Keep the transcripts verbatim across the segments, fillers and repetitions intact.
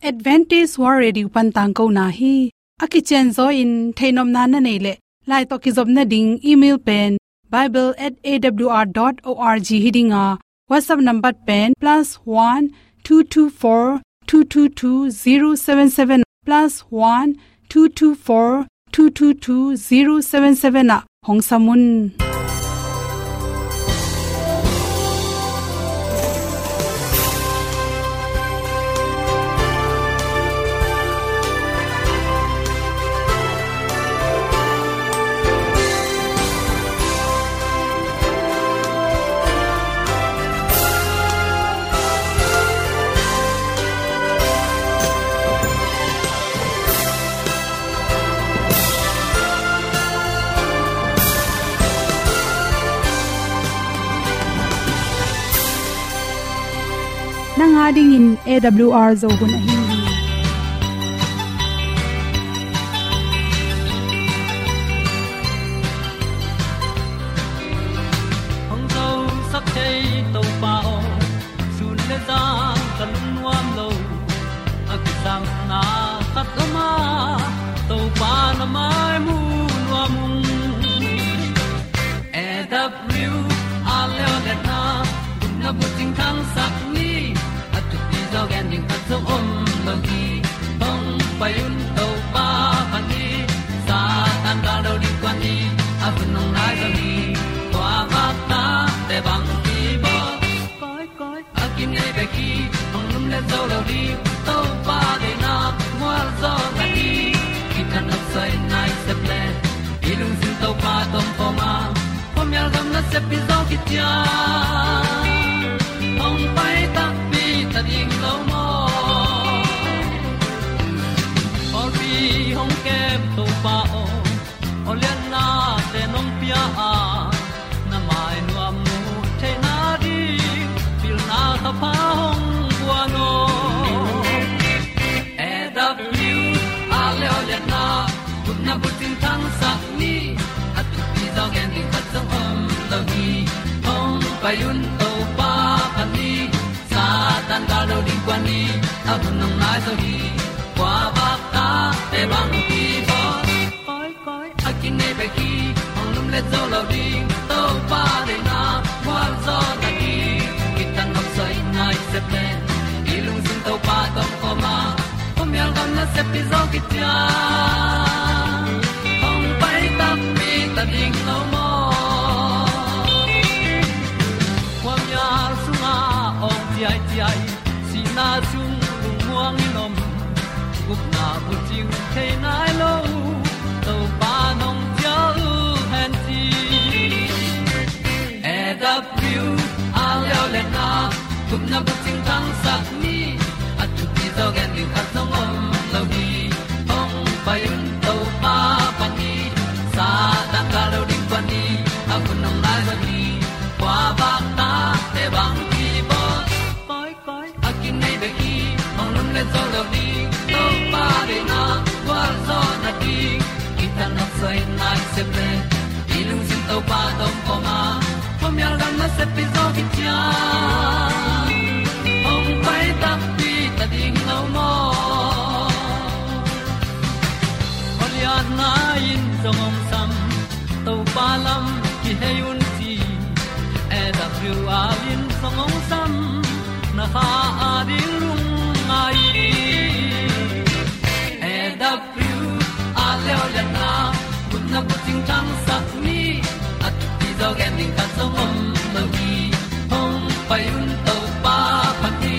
Adventist World Radio pan tangkona hi. A kicianzaw in theihnopna na neih leh, lai tawh kizopna ding email pen bible at A W R dot org hi ding a, WhatsApp number pen plus one two two four two two two zero seven seven, plus one two two four two two two zero seven seven ah hong sam un. Nang a dingin A W R Zo hun ahi hi. Hong zosak thei Topa aw, sun le zan ka lungnuam lo. A kisangna khat om a, Topa na mai mu nuam ung. A W R leo le na, gupna bucing thangsak ni, a thupi zaw gen ding khat zong om lo hi. Hong pai un Topa phat ni, Satan gal do ding kuan ni, a hun hong nai zaw hi. Tua vak ta te bang hi baw. Koi, koi, a kinei bek hi, hong lum le zo lo ding, Topa deihna mual zaw ta hi. Kitang a soi nai sep le, i lungsim Topa tawh om khawm a, khuamial gam nasep pi zaw khit ciang, hong pai takpi ta ding lo maw. Pawlpi hong kem Topa aw, aw lianna te nong pia a, na mai nuam mu theihna ding, pilna thapha hong guan aw. A W R leo le na, gupna bucing thangsak ni, a thupi zaw gen ding khat zong om lo hi. Hong pai un Topa phat ni, Satan gal do ding kuan ni, a hun hong nai zaw hi. Kua vak ta te bang hi baw. Koi, koi, a kinei bek hi, hong lum le zo lo ding, Topa deihna mual zaw ta hi. Kitang a soi nai sep le, i lungsim Topa tawh om khawm a, khuamial gam nasep pi zaw khit ciang, hong pai takpi ta ding lo maw. Khuamial sungah awng ciaiciai, sihna sung lungmuang in om, gupna bucing thei nai lo, Topa nong cial hen ci. A W R leo le na, gupna bucing thangsak ni, a thupi zaw gen ding khat zong om lo hi. Hong pai un Topa phat ni, Satan gal do ding kuan ni, a hun hong nai zaw hi. Kua vak ta te bang hi baw. Koi, koi, a kinei bek hi, hong lum le zo lo ding, Topa deihna gualzawhna ding, kitang a soi nai sep le, i lungsim Topa tawh om khawm a, khuamial gam nasep pi zaw khit ciang, hong pai takpi ta ding lo maw. Aw lianna in zong hong sam, Topa lam kihei un ci. A W R in zong hong sam, na kha a ding lungngai in. A W R leo le na, gupna bucing thangsak ni, a thupi zaw gen ding khat zong om lo hi. Hong pai un Topa phat ni,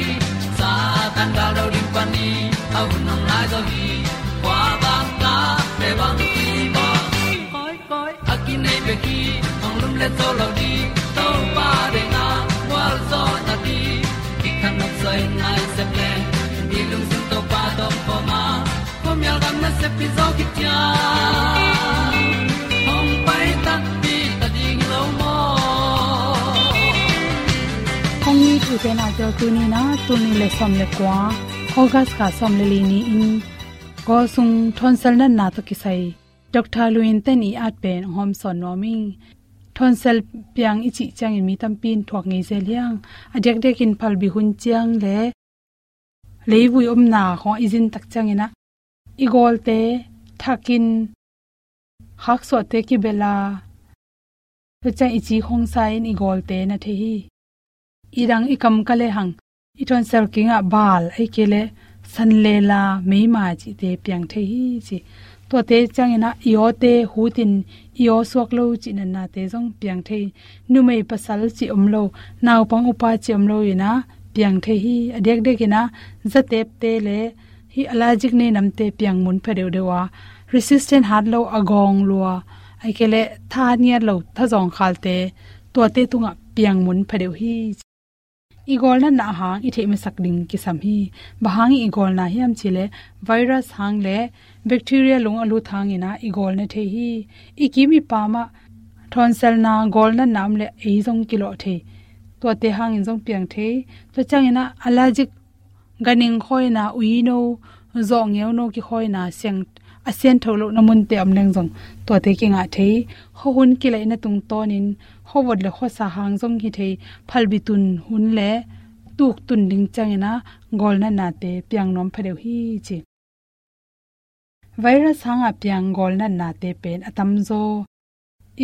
Satan gal do ding kuan ni, a hun hong nai zaw hi. Kua vak ta te bang hi baw. Koi, koi, a kinei bek hi, hong lum le zo lo ding, Topa deihna gualzawhna ding, kitang a soi nai sep le, i lungsim Topa tawh om khawm a, khuamial gam nasep pi zaw khit ciang, hong pai takpi ta ding lo maw. Kong it i pen a tel tuni na, tul nih le sawm le kua, August kha sawm le li ni-in, Kawl sung thonsel natna tawh kisai Doctor Lu In Ten i at pen hong hawmsawn nuam ing. Thonsel piang i cih ciangin mi tampi in thuak ngei zel hi hang. A diakdiakin phalbi hun ciang le leivui omna khawng i zin tak ciangin ah i gawlte thakin khaksuahte kibel a, tua ciang i ci khawng sa in i gawlte na thei hi. I dang i kam ka lehang i tonsel kingah bal ahih kei leh sanlela meima cihte piang thei hi ci. Tuate ciangin ah i awte hutin i aw suak lo cih natnate zong piang thei. Numei pasal cih om lo, naupang upa cih om lo in ah piang thei hi. A diakdiakin ah zatepte le hih allergic nei namte piang mun pha deuhdeuh a, resistant hat lo, a gawng lua, ahih kei leh tha ngiat lo, thazawng khalte, tuate tungah piang mun pha deuh hi. I gawlnatna hang i theih masak ding kisam hi. Bang hang i gawlna hiam cih leh virus hang le bacteria lung a lut hangin ah i gawlna thei hi. I kim i pam ah thawnselna, gawlnatna om leh ei zong kilawh thei. Tuate hangin zong piang thei. Tua ciangin ah allergic, ganhing khawina, uino, zawhngeuno kikhawina, siang, a siangtho lohna munte om leng zong tuate kingah thei. Khuahun kilaihna tungtawnin khuavot le khuasa hang zong hi thei. Phalbi tun hun le tuk tun ding ciangin ah gawlnatnate piang nuam pha deuh hi ci. Virus hangah piang gawlnatnate pen a tamzaw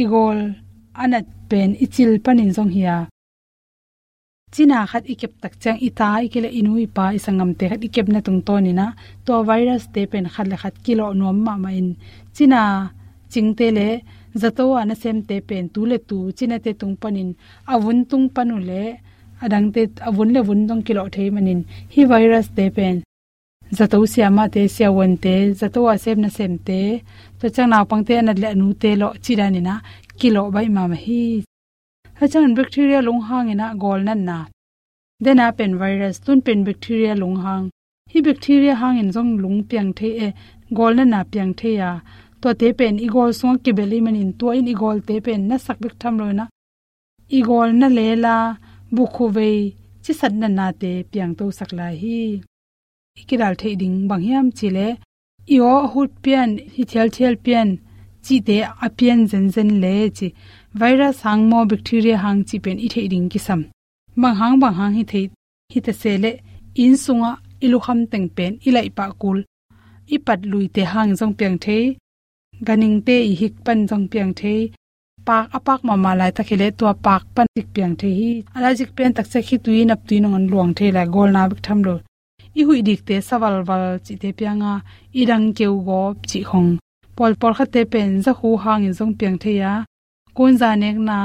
i gawl a nat pen i cil panin zong hi a, cina khat i kep tak ciang i ta, i kile, i nu i pa, i sanggamte khat i kepna tungtawnin ah tua virus-te pen khat le khat kilawh nuam mahmah in, cina cingte le zato a nasemte pen tu le tu cinate tung panin, a vun tung pan uh le a dangte, a vun le vun zong kilawh thei manin, hih virus-te pen zato siamahte, siavuante, zato a sem nasemte, tua ciang naupangte a nat le a nute lawh cih danin ah kilawh baih mahmah hi. Tua ciangin bacteria lung hangin ah gawlnatna, dena pen virus, tun pen bacteria lung hang. Hih bacteria hangin zong lung piang thei e, gawlnatna piang thei a, tuate pen i gawl sungah kibel ahih manin tua in i gawlte pen na sak bek tham lo in ah i gawl na lela, bukhuvei, cisat natnate piangto sak lai hi. I kidal theih ding bang hiam cih leh, i aw a hut pian, hi thialthial pian cihte a pian zenzen le ci, virus hang maw, bacteria hang cih pen i theih ding kisam. Bang hang bang hang hi thei, hi ta se leh, inn sungah i lukham teng pen i laih pah kul, i pat luite hang zong piang thei, ganhingte i hik pan zong piang thei. Paak a paak mahmah laitak hi leh tua paak pan cik piang thei hi. Allergic pian tak ciang khitui, naptui nangawn luang thei lai, gawlna bek tham lo. I huih dikte sa valval cihte piang a, i dang keu gawp cih khong. Pawl, pawlkhatte pen zakhu hangin zong piang thei a, kunza nekna,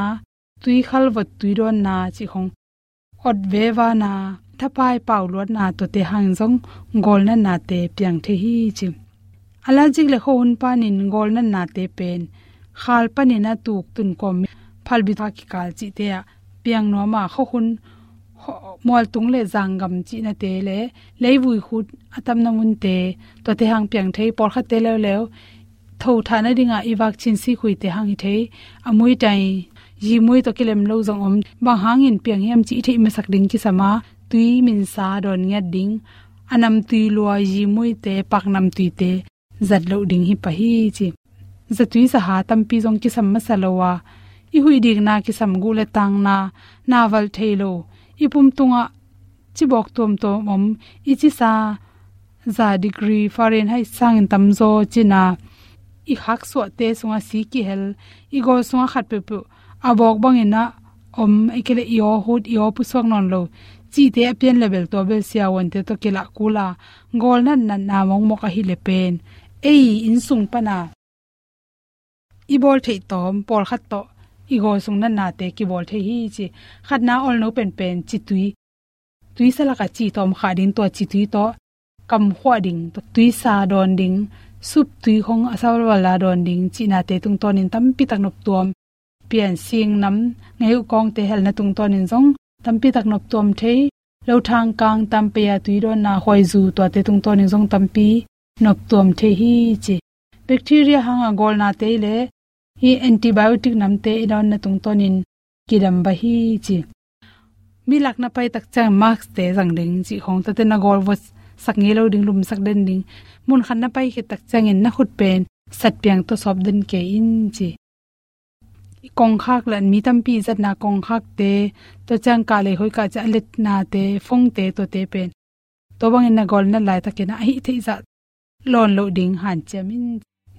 tui khalvot, tui dawnna cih khong, ot vevana, thapai pau luatna, tuate hangin zong gawlnatnate piang thei hi ci. Allergic le khuahun panin gawlnatnate pen khal panin a tuk, tun kawm, phalbi tha kikal cihte ah piang nuam a, khuahun, khuah-, mualtung le zanggam cihnate le leivui khut a tamna munte, tuate hang piang thei. Pawlkhatte leuleu thothah nadingah i vak cin sikhuite hang hi thei. A muitai, zimui tawh kilem lo zong om. Bang hangin piang hiam cih i theih masak ding kisam a, tui minsa dawn ngiat ding, a namtui lua, zimuite, paknamtuite zat loh ding hi pah hi ci. Zatui zaha tampi zong kisam masa lo a, i huih dikna kisam, guh le tangna, na valh thei lo, i pum tungah cibawk tuamtuam om, i cisa za degree Fahrenheit sangin tamzaw cina, i khaksuahte sungah si kihel, i gawl sungah khat peuhpeuh a bawk bangin ah om, ahih kei leh i aw hut, i aw pusuak nawn lo cihte a pian le bel, tua bel siavuante tawh kilah kul a, gawlnatnatna mawkmawk ahih leh pen ei inn sung pana i bawl theih tawm, pawlkhat tawh i gawl sung natnate kibawl thei hi ci. Khatna, olno penpen citui, tuisa lakah ci tawm khah ding, tua citui tawh kamkhuah ding, tuisa dawn ding, sup tui khong a sa valval a dawn ding cihnate tungtawnin tampi tak noptuam. Pian, singnam, ngei uh kawngte helna tungtawnin zong tampi tak noptuam thei. Lothang kang, tampei a tui dawnna, khuaizu, tuate tungtawnin zong tampi noptuam thei hi ci. Bacteria hanga gawlnate le hih antibiotic namte i dawnna tungtawnin kidam baih hi ci. Mi lak na pai tak ciang mask-te zang ding cih khong, tuate na gawl vot sak ngei lo ding, lumsak den ding. Munkhat na pai khit tak ciangin na khut pen satpiang tawh sawp den kei in ci. Kongkhak le mi tampi zatna kongkhakte, tua ciang kah lei hoih kah ciang a letnate, phone-te, tuate pen Tua bangin na gawlnat laitakin ah a hih theih zah lawn loh ding hanciam in.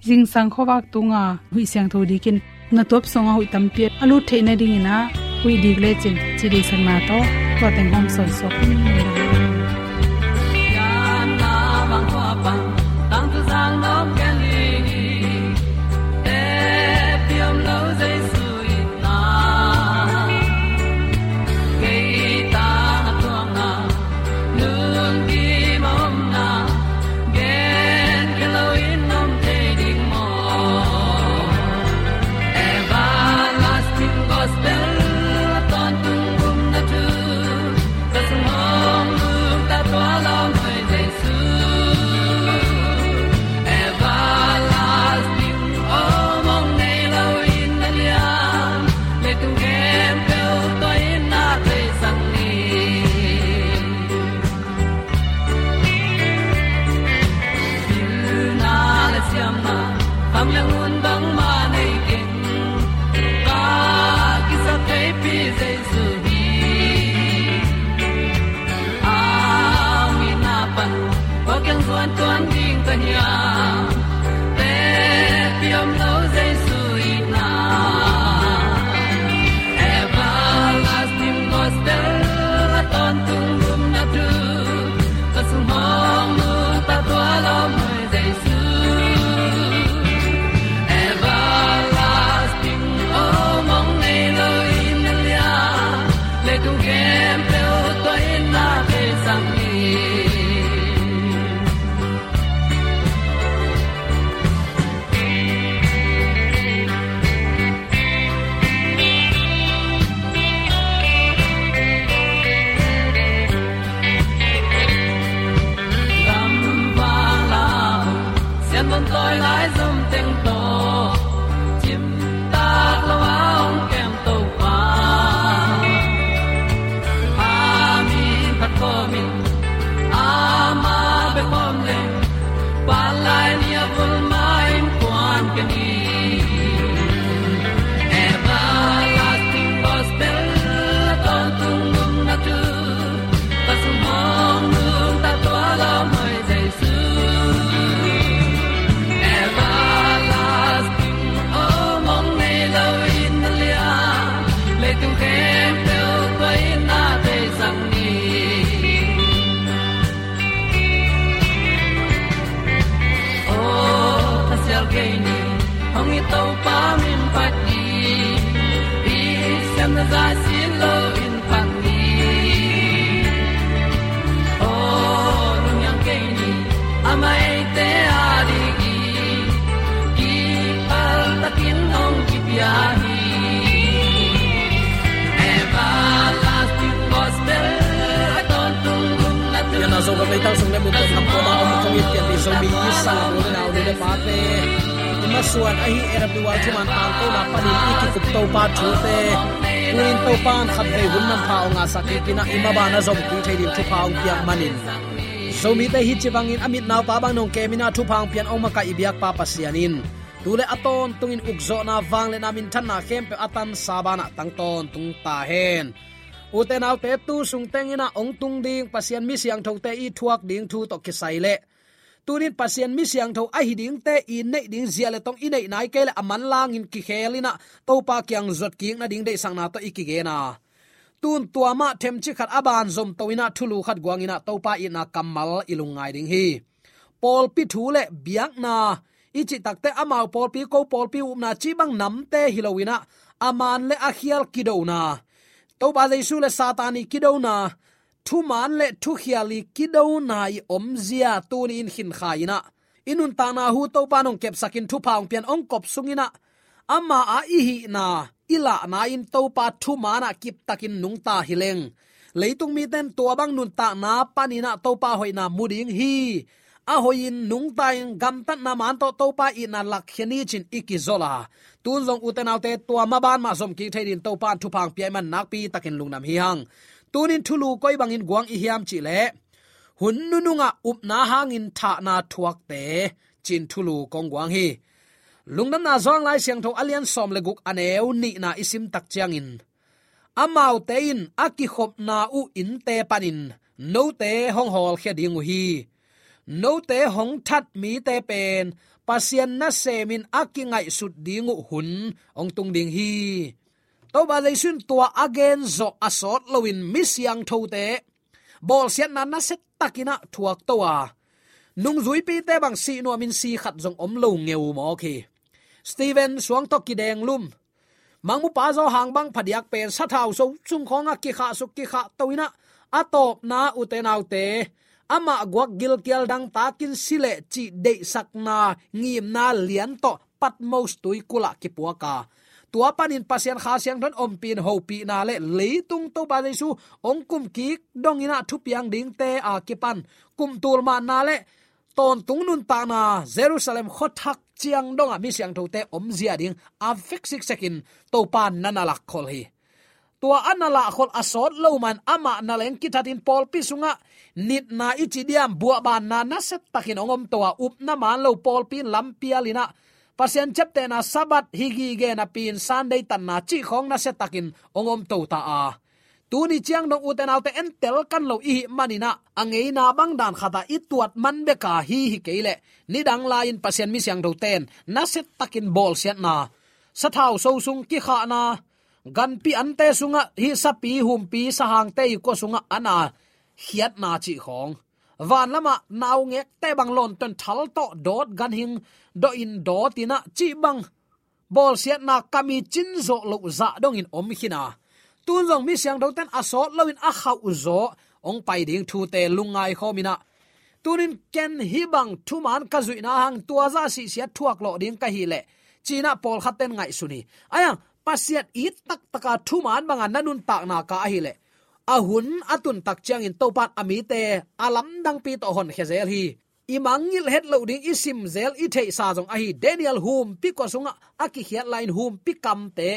Zingsang khuavak tunga huih siangtho dikin na tuap sungah huih tampi a lut theih nadingin ah huih dik lecin ci deihsakna tawh tua teng hawm sawnsuak in. Everlasting gospel a tawntung gumna thu ka sung hong nungta tua lawm hoi Jesu. Everlasting om hong nei lo in na liam, leitung khempeuh tua in na theisak ni. Pilna le siamna, kham le ngun bangmah nei keng, ka kisap theipi Jesu hi. A mitna pan kua kiang zuan tuan ding ka hiam? Tepi om lo Jesu itna. Everlasting gospel a tawntung gumna thu ka sung hong nungta tua lawm hoi Jesu. Everlasting om hong nei lo in na liam, leitung khempeuh tua in na theisak ni. Gamvang lam sian bawm tawi lai zom teng tawh cimtak lo a hong kem Topa. A min phat khawmin ama bek om leng, palai ni a vul ma innkuan kei ni. Everlasting gospel a tawntung gumna thu ka sung hong nungta tua lawm hoi Jesu. Everlasting om hong nei lo in na liam, leitung khempeuh tua in na theisak ni. Aw, thasial kei ni, hong it Topa min phat ni, i siamna zah sin lo in phat ni. Aw, lunghiang kei ni, a maite a ding i kipal takin hong kipia hi. Everlasting gospel a tawntung gumna thu. Pianna Zogam leitang sung le mun tawh nam kawma om kong it pian ni Zomi sang a mu le nau ni le pate, i masuan ahi A W R thuman tangkona panin i kikup Topa thute, tuin Topa in khatvei hun manpha hong ngahsak kik in ah i mabana zom kik thei ding thupha hong piak manin, Zomite hih ci bangin a mit naupa bang nong kem in ah thupha hong pian hong makaih i biakpa Pasian in tu le a tawntungin ukzawhna, vangliatna, minthanna khempeuh a tansa banah tang tawntung ta hen. Ute naute, tu sung teng in ah hong tung ding Pasian mi siangthote i thuak ding thu tawh kisai leh, tunin Pasian mi siangtho ahi dingte i neih ding zia le tong i neih nai kei leh a manlangin kikhel in ah Topa kiang zuat kik nading deihsakna tawh i kigen a, tun tua mah themcik khat a ban zomto in ah thulu khat guang in ah Topa itna kammal i lungngai ding hi. Pawlpi thu le biakna i cih takte amau pawlpi, ko pawlpi upna cih bang namte hi lo in ah a man le a khial kidona, Topa Jesu le Satan i kidona, thuman le thukhial i kidona i omzia tuni in khinkhai in ah i nuntakna hu Topa in hong kepsakin thupha hong pian hong kop sung in ah ama a i hihna i lahna in Topa thuman ah kiptakin nungta hi leng, leitung mite in tua bang nuntakna panin ah Topa hoihna mu ding hi. A hoihin nungta in gamtatna man tawh Topa itna lakkhia ni ci-in i kizol a, tun zong ute naute, tua maban mah zom kik thei dingin Topa in thupha hong pia ahih man nakpi takin lungdam hi hang. Tunin thulu koi bangin guang i hiam cih leh, hun nunungah upna hangin thahna thuakte ci-in thulu kong guang hi. Lungdamna Johan Lai Siangtho a lian sawm le guk, a neu nihna i sim tak ciangin, amaute in a kikhopna uh innte panin note hong hawlkhia ding uh hi. Note hong that mite pen Pasian nasemin a kingaihsut ding uh hun hong tung ding hi. Topa Jesu in tua a gen zawh a sawt loin mi siangthote bawlsiatna nasia takin ah thuak to a, nungzuipite bang sih nuamin si khat zong om lo ngeu mawk hi. Stephen suang tawh kidenglum, mangmupa Johan bang phadiak pen sathau so sung khawngah kikhahsuk kikhahto in ah, a tawpna ute naute, amah guak gilkial dangtakin si leh cih deihsakna ngimna lian tawh Patmos tuikulh ah kipuak a, tua panin Pasian Kha Siangtho in ompih in hopihna le leitung Topa Jesu hong kumkik dongin ah thupiang dingte a kipan kumtul manna le tawntung nuntakna Jerusalem khuathak ciang dongah mi siangthote omzia ding a vek siksekin Topa in na na lakkhol hi. Tua a na lahkhol a sawt lo man amah na leng kithatin pawlpi sungah nitna i ci diam, buahbanna nasia takin hong om to a, upna man lo pawlpi in lampial in ah, Pasian ciaptehna Sabbath hi gige napi-in Sunday tanna cih khawng nasia takin hong om to ta a, tuni ciang dong ute naute entel kan lo i hih manin ah, a ngeina bang dan khatah i tuat man bek a hi hi kei leh nidang lai-in Pasian mi siangthote in nasia takin bawlsiatna, sathau so sung kikhahna, ganpi ante sungah hih sapi humpi sahangte i kua sungah a na khiatna cih khawng, van lamah naungekte bang lawnton thal tawh dawt, ganhing dawhin dawt in ah cih bang bawlsiatna kam i cin zawh loh zah dongin om khin a, tun zong mi siangthote in a sawt loin a khauh zawh hong pai ding thute lungngai khawm in ah, tunin ken hih bang thuman ka zuihna hang tua zah sihsiat thuak lawh ding ka hih leh, ci-in ah pawlkhatte in ngaihsun hi. Ahi hang Pasian it taktaka thuman banga na nuntakna ka ahih leh, a hun a tun tak ciangin Topa in a mite a lamdangpi tawh honkhia zel hi. I mangngilh het loh ding i sim zel i theihsa zong ahi Daniel humpi kua sungah a kikhiat lai-in humpi kamte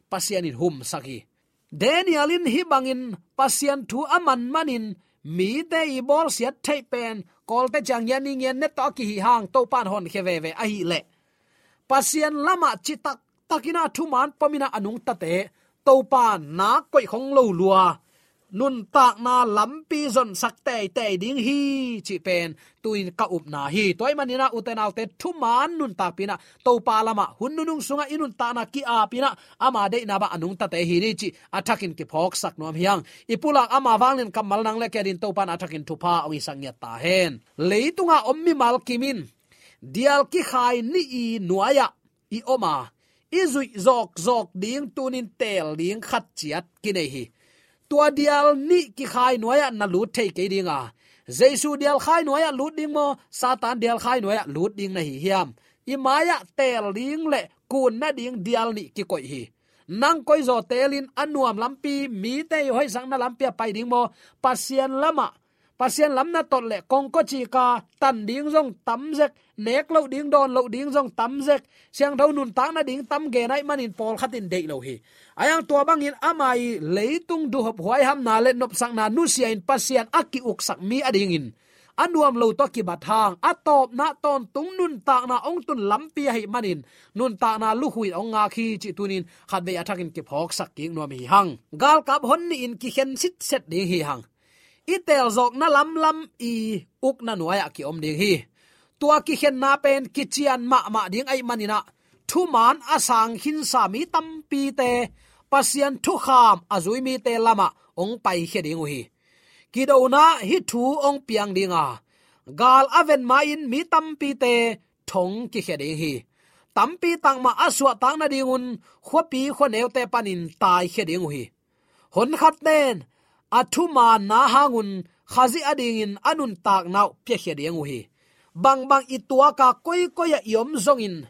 Pasian in humsak hi. Daniel in hih bangin Pasian thu a man manin mite i bawlsiat theih pen kawlte ciang ngian ni ngian net tawh a kihih hang Topa in honkhia veve ahih leh, Pasian lamah citak takin ah thuman pom in ah a nungtate Topa nak koih khong lo lua, nuntakna lampi zonsak teitei ding hi cih pen tu-in ka upna hi. Tua ahih manin ah ute naute, thuman nuntakpih in ah Topa lamah hun nunung sungah i nuntakna ki-ap in ah ama deihna bang a nungtate hi ni cih a thakin kiphawksak nuam hi hang. I pulak ama vanglian kammal nang le kei adingin Topa in a thakin thupha hong hisak ngiat ta hen. Leitunga om mimal kim in dial kikhai nih i nuai-ah i om a, i zuih zawkzawk ding tunin teel ding khat ciat kinei hi. Tua dial nih kikhai nuai-ah na lut thei kei ding a, Jesu dial khai nuai-ah lut ding maw, Satan dial khai nuai-ah lut ding na hi hiam? I mai-ah teel ding le kun nading dial nih kikoih hi. Nang koi zaw teelin a nuam lampi, mite i hoihsakna lampi ah pai ding maw, Pasian lamah, Pasian lam na tot leh kongkocik a, tan ding zong tam zek, nek loh ding, dawn loh ding zong tam zek, siangtho nuntak nading tam gen ahih manin pawlkhat in deih lo hi. Ahi hang tua bangin ama i leitung duhhop huaihamna le nopsakna nusia-in Pasian a ki-uksak mi adingin a nuam lo tawh kibat hang, a tawpna tawntung nuntakna hong tun lampi ahih manin nuntakna lukhu in hong ngak hi cih tunin khatvei a thakin kiphawksak kik nuam hi hang. Galkap hon nihin kikhen sitset ding hi hang. I teelzawkna lamlam i ukna nuai-ah ki-om ding hi. Tua kikhenna pen kician mahmah ding ahih manin ah, thuman a sang khinsa mi tampite Pasian thukham a zui mite lamah hong paikhia ding uh hi. Kidona hih thu hong piang ding a, gal a ven ma-in mi tampite thong kikhia ding hi. Tampi tak mah a suahtak nadingun khuapi khuaneute panin taikhia ding uh hi. Honkhatte in a thumanna hangun Khazih adingin a nuntakna uh piakhia ding uh hi. Bangbang i tuak a, koikoi ah i om zongin,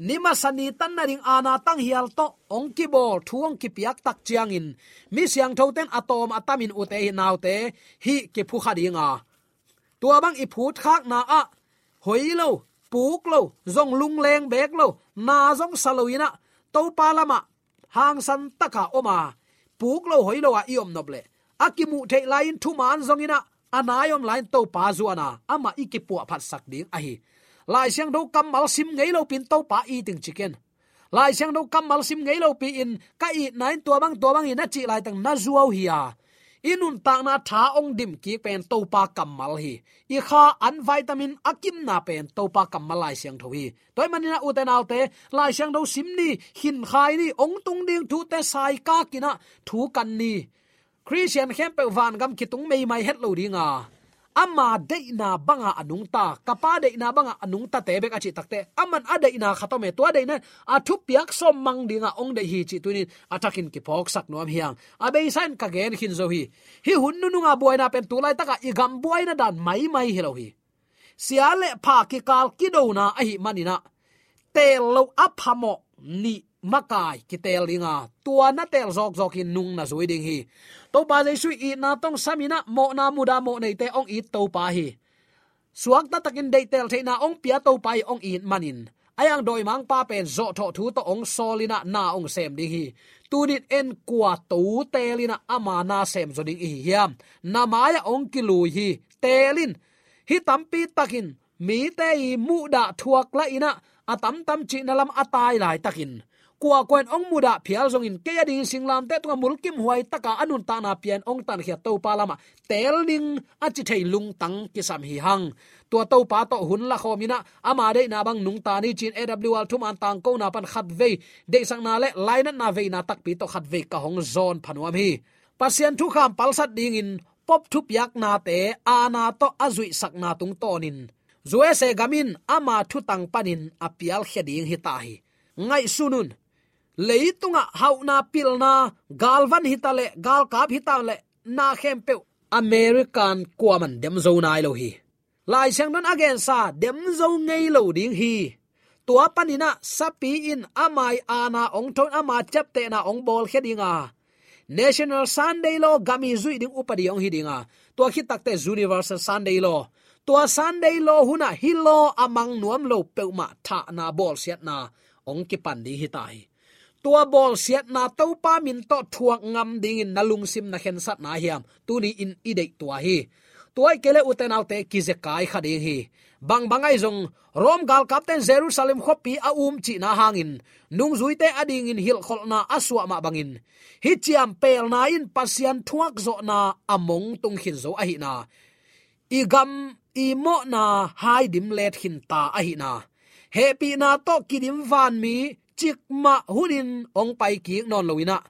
ni masa ni tan nading aana tanghial tawh hong kibawl, thu hong kipiak tak ciangin mi siangthote in a tawm a tamin, ute naute, hih kiphukha ding a, tua bang i phutkhakna ah hoi lo, puk lo, zong lungleng beek lo, na zong sa lo in ah, Topa lamah hangsan taka om a, puk lo hoi lo a i om nop leh, a kimuh theih lai-in thuman zong in ah, a nai om lai-in Topa zuan a, amah i kipuahphatsak ding ahi. Lai Siangtho kammal sim ngei lopi-in Topa it ing ci ken. Lai Siangtho kammal sim ngei lopi-in ka itna in tua bang tua bang hi na cih laitak na zuau hi a, I nuntakna tha hong dim kik pen Topa kammal hi. I kha an vitamin a kimna pen Topa kammal Lai Siangtho hi. Tua ahih manin ah, ute naute, Lai Siangtho sim ni, khinkhai ni, hong tung ding thute saikak in ah thu kan ni. Khristian khempeuh vangam kitung meimai het lo ding a, ama deihna bangah a nungta, ka Pa deihna bangah a nungtate bek a cih takteh, aman a deihna khat om e, tua deihna in a thupiak sawm mang dingah hong deih hi cih tuni-in a thakin kiphawksak nuam hi hang. A beisa in ka gen khin zo hi. Hih hun nunung a buaina pen tu laitak a i gam buaina dan maimai hi lo hi. Sia le pha kikal kidona ahih manin ah, teel loh a phamawh nih makai kiteel ding a, tua na teel zawkzawk in nung na zui ding hi. Topa Jesu in itna tawh hong sam in ah, mawhna mudah mawh neite hong it Topa hi. Suakta takin deihtel theihna hong pia Topa hi hong it manin, a yang dawimangpa pen zawhthawh thu tawh hong sawl in ah, na hong sem ding hi. Tuni-in en, kua to teel in ah ama na sem zaw ding i hi hiam? Na mai-ah hong kilui hi. Teel in. Hih tampi takin mite i muhdah thuak lah in ah, a tamtam cihna lam a tai laitakin, kuakua in hong mudah phial zongin, kei a dingin singlamteh tungah mulkimhuai taka a nuntakna pia in hong tankhia Topa lamah teel ning a ci thei lungtang kisam hi hang. Tua Topa tawh hun lakhawm in ah, ama deihna bang nungta ni ci-in A W R thuman tangkona pan khatvei deihsakna le lainatna veina takpi tawh khatvei ka hong zawn pha nuam hi. Pasian thukham palsat dingin Pope thupiaknate aana tawh a zuihsakna tungtawnin, U S A gam in ama thutang panin a pialkhia ding hi ta hi. Ngaihsun un. Leitungah hauhna, pilna, galvan hi ta leh, galkap hi ta leh, na khempeuh American kuaman dem zo nai lo hi. Lai Siangtho in a gensa, dem zo ngei lo ding hi. Tua panin ah sapi in ama aana hong tho in, ama ciaptehna hong bawlkhia ding a, National Sunday Law gam i zuih ding upadi hong hi ding a, tua khit takteh Universal Sunday Law. Tua Sunday Law hun ah hih law a mang nuam lo peuhmah thahna, bawlsiatna hong kipan ding hi ta hi. Tua bawlsiatna Topa min tawh thuak ngam dingin na lungsim, na khensatna hiam? Tuni-in i deih tua hi. Tua ahih kei leh, ute naute, kizekai kha ding hi. Bangbang ahi zong, Rome galkapte in Jerusalem khuapi a um cihna hangin, nungzuite a dingin hilhkholhna a suah mah bangin, hih ciampeelna in Pasian thuak zawhna a mong tung khin zo ahihna, i gam i mawhna hai dim let khin ta ahihna, hehpihna tawh kidim vanmi cikmah hunin hong pai kik nawn lo in ah,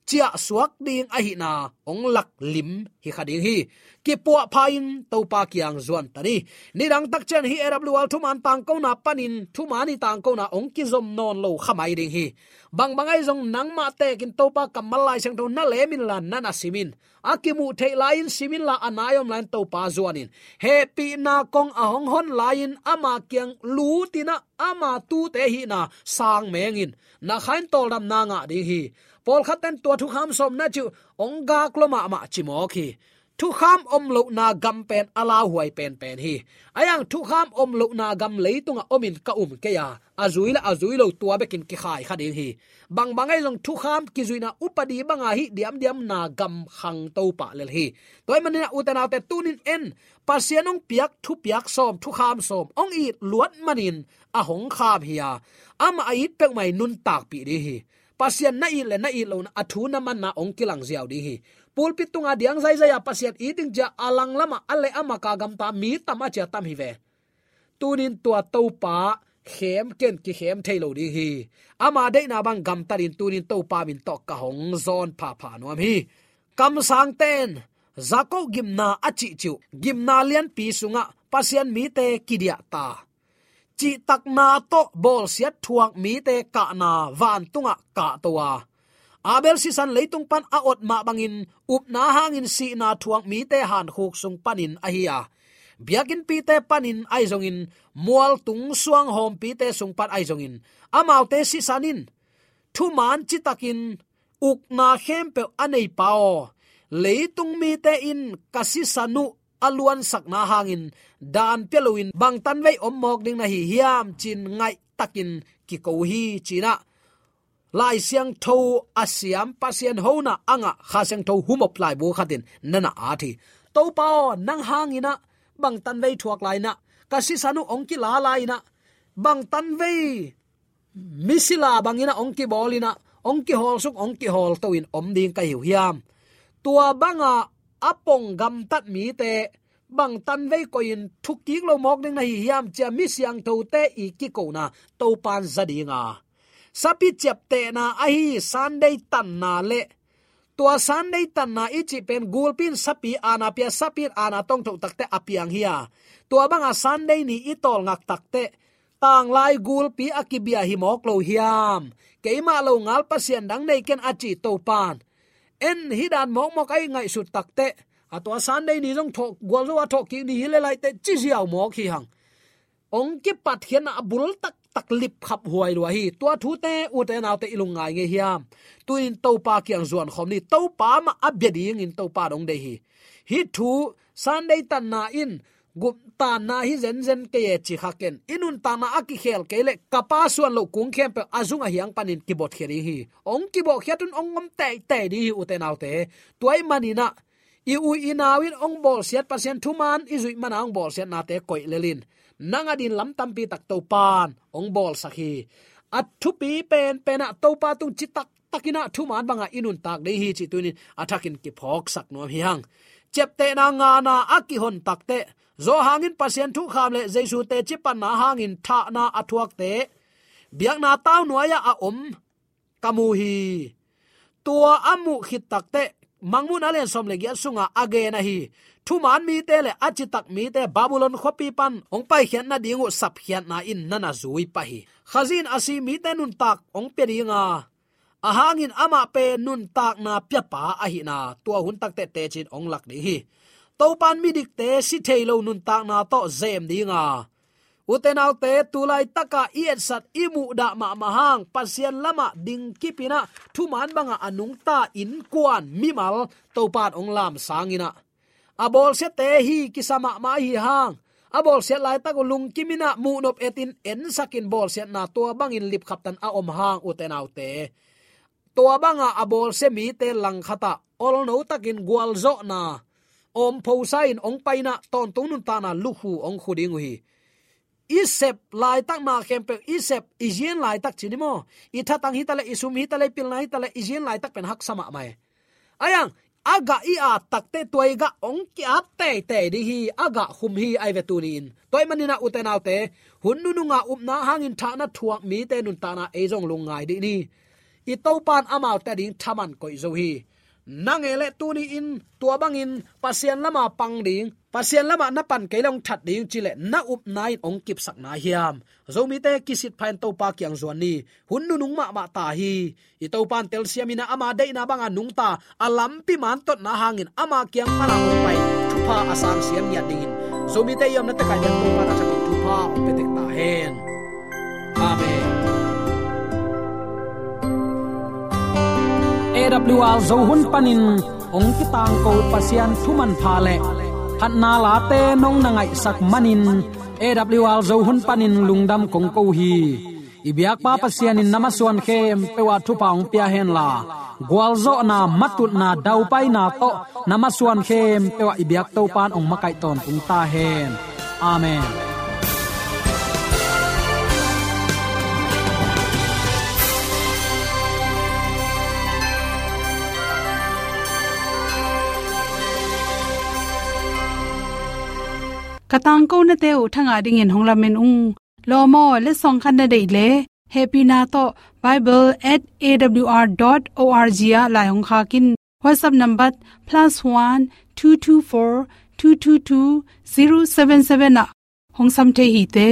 ciahsuak ding ahihna hong lak lim hi kha ding hi. Kipuahpha in Topa kiang zuan ta ni. Nidang tak ciang hih A W R thuman tangkona panin, thuman i tangkona hong kizom nawn lo kha mai ding hi. Bangbang ahi zong, nangmah tekin Topa kammal Lai Siangtho na lem inla, na na sim in. A kimuh theih lai-in sim inla, a nai om lai-in Topa zuan in. Hehpihna kong a hong hon lai-in ama kiang lut in ah, ama tuute hihna sang meng in. Na kha in tawldamna ngah ding hi. Pawlkhatte in tua thukham sawm na cih uh hong gak lua mahmah ci mawk hi. Thukham om lohna gam pen a lauhuai penpen hi. A yang thukham om lohna gam leitungah om in ka um kei a, a zui le a zui lo tua bekin kikhai kha ding hi. Bangbang ahi zong, thukham kizuihna upadi banga hih diamdiamna gam khang Topa lel hi. Tua ahih manin ah, ute naute, tuni-in en, Pasian hong piak thupiak sawm, thukham sawm hong it luat manin a hong kham hi a, amah a it peuhmah i nuntakpih ding hi. Pasian na it le na it lohna, a thu na manna hong kilang ziau ding hi. Pulpit tunga diang zaizai a Pasian it ding ci-a a langlamah a leh a maka gamta mi tam a cia tam hi ve. Tuni-in tua Topa khem ken kikhem thei lo ding hi. Ama deihna bang gamtat in, tuni-in Topa min tawh ka hong zawn phapha nuam hi. Kamsangte in Jakob gimna a cihcih uh, gimna lianpi sungah Pasian mite kidiah ta, cihtakna tawh bawlsiat thuak mite kahna vantungah kahto a, Abel sisan leitung pan a ot mah bangin, upna hangin sihna thuak mite hankhuk sung panin ahi a, biakinnpite panin ahi zongin, mualtung suanghawmpite sung pan ahi zongin, amaute sisan in, thuman citakin ukna khempeuh a neipa aw, leitung mite in ka sisan uh a luansakna hangin dan pia loin bangtan vei om mawk ding na hi hiam, ci-in ngaihtakin kiko hi, ci-in ah Lai Siangtho a siam, Pasian hona a ngah Kha Siangtho humop laibu khat in na na at hi. Topa aw, nang hangin ah bangtan vei thuak lai-in ah, ka sisan uh hong kila lai-in ah, bangtan vei misila bangin ah hong kibawl in ah, hong kihawlsuk, hong kihawlto in om ding ka hi uh hiam? Tua banga a pong gamtat mite bang tanvei koihin thukik lo mawk ding na hi hiam ci-a mi siangthote i kikona Topan za ding a, sapi ciaptehna ahi Sunday tanna le tua Sunday tanna i cih pen gulpi in sapi aana pia, sapi in aana tong thoh takteh a piang hi a, tua banga Sunday ni i tawlngak takteh tanglai gulpi a kibia hi mawk lo hiam? Keimah lo ngal pasian dang nei ken a cih Topan en hi dan mawkmawk a i ngaihsut takteh, a tua Sunday ni zong thawh, gualzo a thawhkik ni hi le laiteh ci ziau mawk hi hang. Hong kipatkhiatna a bul taktak lipkhap huai lua hi. Tua thute ute naute i lungngai ngei hiam? Tu-in Topa kiang zuan khawm ni. Topa mah a bia dingin Topa dong deih hi. Hih thu Sunday tanna in guptanna hi zenzen kei e ci kha ken. I nuntakna a kikhel kei leh ka Pa suan loh kung khempeuh a zung a hiang panin kibotkhia ding hi. Hong kibotkhia tun hong om teitei ding hi ute naute. Tua ahih maninah i u i nau in hong bawlsiat, Pasian thuman i zuih mana hong bawlsiatnate koih lel in. Nang a din lam tampi tak Topan hong bawlsak hi. A thupi penpenah Topa tung citak takinah thuman bangah i nuntak ding hi cih tu-in a thakin kiphawksak nuam hi hang. Ciaptehna ngana a kihon takteh, zawh hangin Pasian thukham le Jesu teci panna hangin thahna a thuakte biakna tau nuai-ah a om ka mu hi. Tua a muh khit takteh, Mangmuhna lian sawm le giat sungah a gen ahi thuman mite le a citak mite Babylon khuapi pan hong paikhiat nading uh sapkhiatna in na na zui pah hi. Khazih in a si mite nuntak hong pia ding a, a hangin amah pen nuntakna piapa ahihna tua hun takteh tecin hong lak ding hi. Topan midikte si thei lo nuntakna tawh zem ding a, ute naute, tu laitaka i etsat i muhdah mahmah hang Pasian lamah dingkipinah thuman bangah a nungta innkuan mimal Topan hong lamsanginah, a bawlsiate hi kisa mahmah ahi hang, a bawlsiat laitak uh lungkiminah muhnop etin ensakin bawlsiatna tua bangin lipkhaptan a om hang ute naute, tua banga a bawlsia mite langkhatah olno takin gualzawhna awmphosa in hong painah tawntung nuntakna lukhu hong khu ding uh hi. I sep laitakna khempeuh, i sep i zian laitak ci ni maw? I thatang hitaleh, i sum hitaleh, i pilna hitaleh, i zian laitak pen haksa mahmah e. Ayang a gah i at takteh tua i gah hong ki-at teitei ding hi, a gah khum hi ai ve tuni-in. Tua ahih maninah ute naute, hun nununga upna hangin thahna thuak mite nuntakna ei zong lungngai dih ni. I Topan amaute ading thaman koih zo hi. Nang e le tuni-in tua bangin Pasian lama pang ding, Pasian lamah na pan kei le hong that ding cileh na upna in hong kipsak nai hiam? Zomite kisit pha in Topa kiang zuan ni. Hun nunung mahmah ta hi. I Topan telsiam inah ama deihna banga nungta a lampi mantotna hangin ama kiang pana hong pai thupha a sangsiam ngiat dingin Zomite i omna tekaih biak Topan a thakin thupha hong pia tek ta hen. Amen. A W R Zo hun panin hong kitangko Pasian thumanpha le phatna late nong na ngaihsak manin A W R Zo hun panin lungdam kong ko hi. I biakpa Pasian in na masuan khempeuh ah thupha hong pia henla, gualzawhna, matutna, daupaina tawh na masuan khempeuh ah i biak Topan hong makaih tawntung ta hen. Amen. Ka tangkonate uh thangah dingin hong lamen ung. Lawm aw, letsong khat na deih le hehpihna tawh bible at A W R dot O R G ah lai hong khak in. WhatsApp number plus one two two four two two two zero seven seven ah hong sam thei hi te.